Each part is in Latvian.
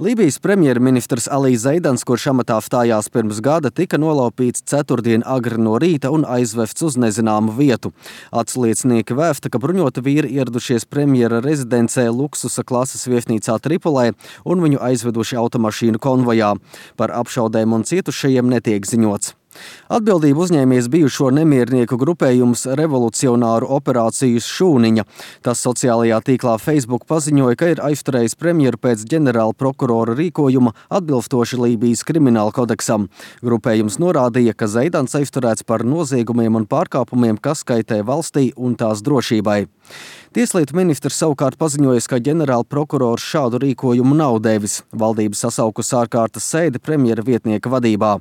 Lībijas premjerministrs Alī Zeidans, kurš amatā stājās pirms gada, tika nolaupīts ceturtdien agri no rīta un aizvests uz nezināmu vietu. Atsliecinieki vēsta, ka bruņoti vīri ieradušies premjera rezidencē luksusa klases viesnīcā Tripolē un viņu aizveduši automašīnu konvojā. Par apšaudēm un cietušajiem netiek ziņots. Atbildību uzņēmies bijušo nemiernieku grupējums Revolucionāru operācijas Šūniņa. Tas sociālajā tīklā Facebook paziņoja, ka ir aizturējis premjeru pēc ģenerāla prokurora rīkojuma atbilstoši Lībijas krimināla kodeksam. Grupējums norādīja, ka Zeidans aizturēts par noziegumiem un pārkāpumiem, kas kaitē valstī un tās drošībai. Tieslietu ministrs savukārt paziņoja, ka ģenerāla prokurors šādu rīkojumu nav devis. Valdība sasaukusi ārkārtas sēdi premjera vietnieka vadībā.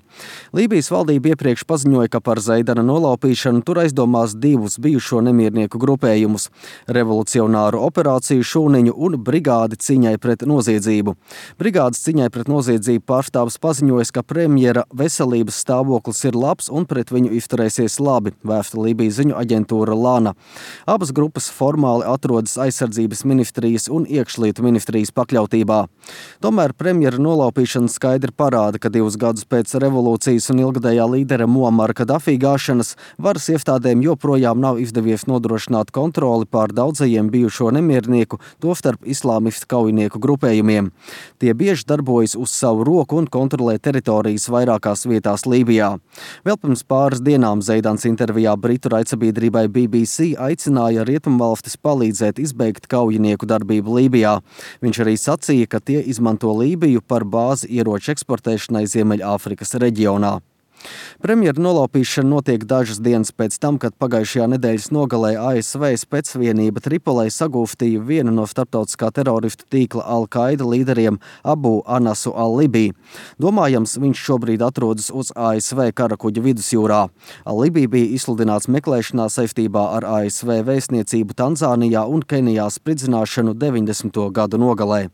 Lībijas valdība iepriekš paziņoja, ka par Zeidana nolaupīšanu tur aizdomās divus bijušo nemiernieku grupējumus – Revolucionāru operāciju Šūniņu un Brigādi cīņai pret noziedzību. Brigādes cīņai pret noziedzību pārstāvis paziņoja, ka premjera veselības stāvoklis ir labs un pret viņu izturēsies labi, vēsta Lībijas ziņu aģentūra Lana. Abas grupas formāli atrodas aizsardzības ministrijas un iekšlietu ministrijas pakļautībā. Tomēr premjera nolaupīšana skaidri parāda, ka 2 gadus pēc revolūcijas un ilgadējā līdera Muamara Kadafī gāšanas varas iestādēm joprojām nav izdevies nodrošināt kontroli pār daudzajiem bijušo nemiernieku, tostarp islāmistu kaujinieku grupējumiem. Tie bieži darbojas uz savu roku un kontrolē teritorijas vairākās vietās Lībijā. Vēl pirms pāris dienām Zeidans intervijā britu raidsabiedrībai BBC aicināja rietumvalstis palīdzēt izbeigt kaujinieku darbību Lībijā. Viņš arī sacīja, ka tie izmanto Lībiju par bāzi ieroču eksportēšanai Ziemeļāfrikas reģionā. Premjera nolaupīšana notiek dažas dienas pēc tam, kad pagājušajā nedēļas nogalē ASV specvienība Tripolē sagūstīja vienu no starptautiskā teroristu tīkla Al-Qaida līderiem Abu Anasu al-Libī. Domājams, viņš šobrīd atrodas uz ASV karakuģa vidusjūrā. Al-Libī bija izsludināts meklēšanā saistībā ar ASV vēstniecību Tanzānijā un Kenijā spridzināšanu 90. gadu nogalē.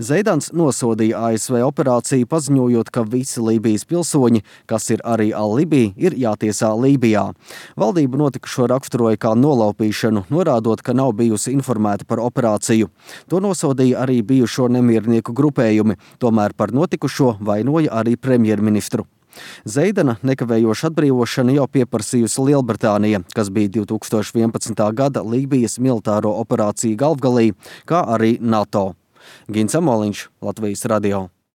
Zeidans nosodīja ASV operāciju, paziņojot, ka visi Lībijas pilsoņi, kas ir arī Al-Libī, ir jātiesā Lībijā. Valdība notikušo raksturoja kā nolaupīšanu, norādot, ka nav bijusi informēta par operāciju. To nosodīja arī bijušo nemiernieku grupējumi, tomēr par notikušo vainoja arī premjerministru. Zeidana nekavējoša atbrīvošana jau pieprasījusi Lielbritānija, kas bija 2011. gada Lībijas militāro operāciju galvgalī, kā arī NATO. Gins Amoliņš, Latvijas radio.